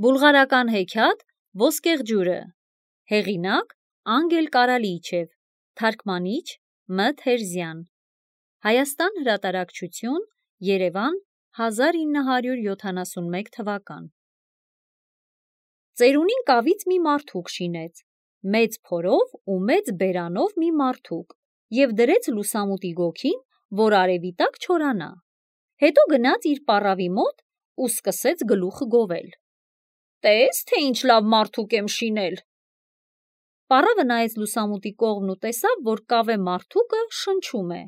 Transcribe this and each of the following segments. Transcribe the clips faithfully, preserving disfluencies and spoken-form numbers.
Բուլղարական հեքիաթ Ոսկեղջյուրը, հեղինակ Անգել Կարալիչև, թարգմանիչ Մ. Թերզյան, Հայաստան հրատարակչություն, Երևան, հազար ինը հարյուր յոթանասունմեկ թվական։ Ծերունին կավից մի մարդուկ շինեց, մեծ փորով ու մեծ բերանով մի մարդուկ, և դրեց լուսամուտի գոգին, որ արևի տակ չորանա։ Հետո գնաց իր պառավի մոտ ու սկսեց գլուխը գովել. «Տես, թե ինչ լավ մարդուկ եմ շինել»։ Պառավը նայեց լուսամուտի կողմն ու տեսավ, որ կավե մարդուկը շնչում է,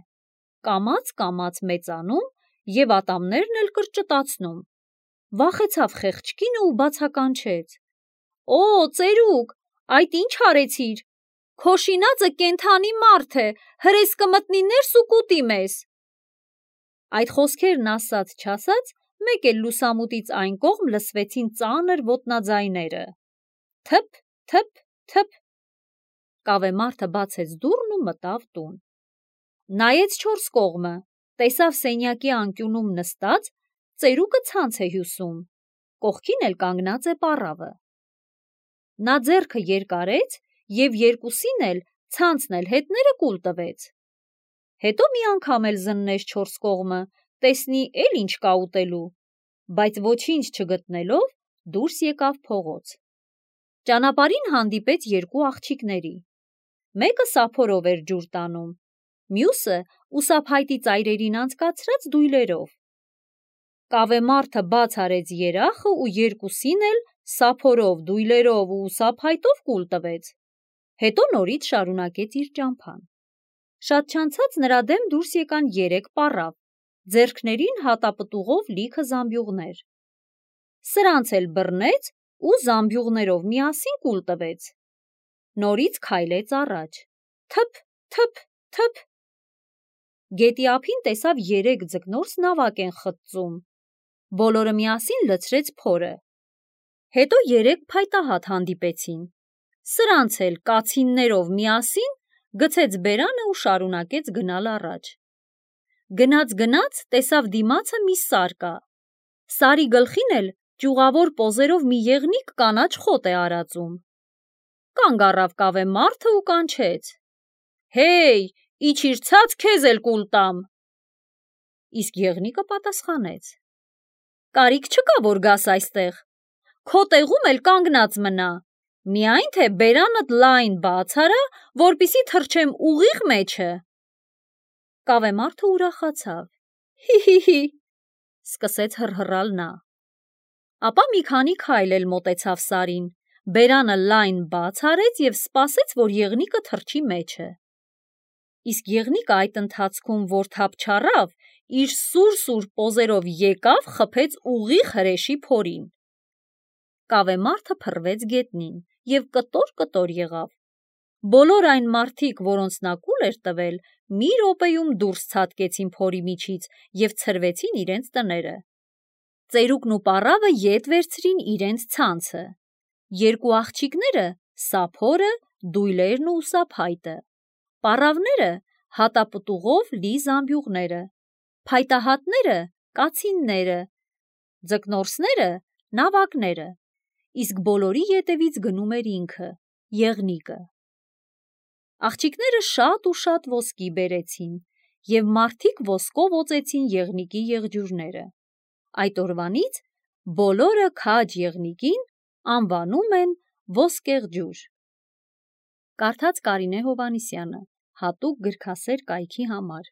կամաց-կամաց մեծանում և ատամներն էլ կրճտացնում։ Վախեցավ խեղճկինը ու բացականչեց. «Օ, ծերուկ, այդ ինչ արեցիր, քո շինածը կենդանի մարդ է, հրես կմտնի ներս ու կուտի մեզ»։ Այդ խոսքերն ասաց-չասաց, մեկ էլ լուսամուտից այն կողմ լսվեցին ծանր ոտնաձայները. թփ, թփ, թփ։ Կավե մարդը բացեց դուռն ու մտավ տուն։ Նայեց չորս կողմը, տեսավ սենյակի անկյունում նստած ծերուկը ցանց է հյուսում, կողքին էլ կանգնած է պառավը։ Նա ձեռքը երկարեց և երկուսին էլ, ցանցն էլ հետները կուլ տվեց։ Հետո մի անգամ էլ զննեց չորս կողմը, տեսնի էլ ինչ կա ուտելու, բայց ոչինչ չգտնելով դուրս եկավ փողոց։ Ճանապարհին հանդիպեց երկու աղջիկների։ Մեկը սափորով էր ջուր տանում, մյուսը ուսափայտի ծայրերին անցկացրած դույլերով։ Կավե մարդը բաց արեց երախը ու երկուսին էլ սափորով, դույլերով ու ուսափայտով կուլ տվեց։ Հետո նորից շարունակեց իր ճամփան։ Շատ չանցած նրա դեմ դուրս եկան երեք պառավ, ձեռքներին հատապտուղով լիքը զամբյուղներ։ Սրանց էլ բռնեց ու զամբյուղներով միասին կուլ տվեց։ Նորից քայլեց առաջ. թփ, թփ, թփ։ Գետի ափին տեսավ երեք ձկնորս նավակ են խտծում։ Բոլորը միասին լցրեց փորը։ Հետո երեք փայտահատ հանդիպեցին։ Սրանց էլ կացիններով միասին գցեց բերանը ու շարունակեց գնալ առաջ։ Գնաց-գնաց տեսավ դիմացը մի սար կա։ Սարի գլխին էլ ճյուղավոր պոզերով մի եղնիկ կանաչ խոտ է արածում։ Կանգ առավ կավե մարդը ու կանչեց. «Հեյ, իջիր ցած, քեզ էլ կուլ տամ»։ Իսկ եղնիկը պատասխանեց. «Կարիք չկա, որ գաս այստեղ, քո տեղում էլ կանգնած մնա, միայն թե բերանդ լայն բաց արա, որպեսզի թռչեմ ուղիղ մեջը»։ Կավե մարդը ուրախացավ. «Հի՛, սկսեց հռհռալ նա։ Ապա մի քանի քայլ էլ մոտեցավ սարին, բերանը լայն բաց արեց և սպասեց, որ եղնիկը թռչի մեջը։ Իսկ եղնիկը այդ ընթացքում, որ թափ չառավ, իր սուր-սուր պոզերով եկավ խփեց ուղիղ հրեշի փորին։ Կավե մարդը փռվեց գետնին և կտոր-կտոր եղավ։ Բոլոր այն մարդիկ, որոնց նա կուլ էր տվել, մի րոպեում դուրս ցատկեցին փորի միջից և ցրվեցին իրենց տները։ Ծերուկն ու պառավը ետ վերցրին իրենց ցանցը, երկու աղջիկները սափորը, դույլերն ու ուսափայտը, պառավները հատապտուղով լի զամբյուղները, փայտահատները կացինները, ձկնորսները նավակները, իսկ բոլորի ետևից գնում էր ինքը՝ եղնիկը։ Աղջիկները շատ ու շատ ոսկի բերեցին, և մարդիկ ոսկով օծեցին եղնիկի եղջյուրները։ Այդ օրվանից բոլորը քաջ եղնիկին անվանում են Ոսկեղջյուր։ Կարդաց Կարինե Հովհաննիսյանը, հատուկ գրքասեր կայքի համար։